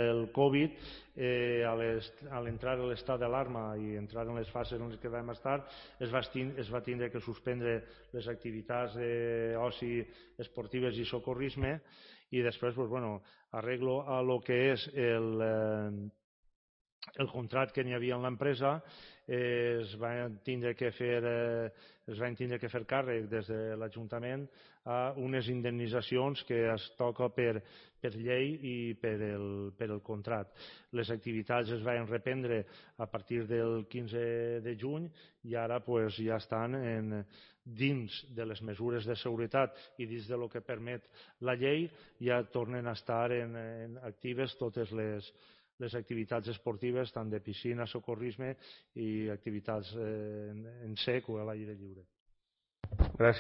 el Covid, a l'entrar a l'estat d'alarma i entrar en les fases en què vam estar, es va tindre que suspendre les activitats d'oci esportives i socorrisme, i després arreglo a lo que és el contracte que n'hi havia en l'empresa. Es van tindre que fer càrrec des de l'Ajuntament a unes indemnitzacions que es toca per llei i per el contracte. Les activitats es van reprendre a partir del 15 de juny i ara ja estan dins de les mesures de seguretat i dins del que permet la llei. Ja tornen a estar actives totes les activitats esportives, tant de piscina, socorrisme i activitats en sec o a l'aire lliure.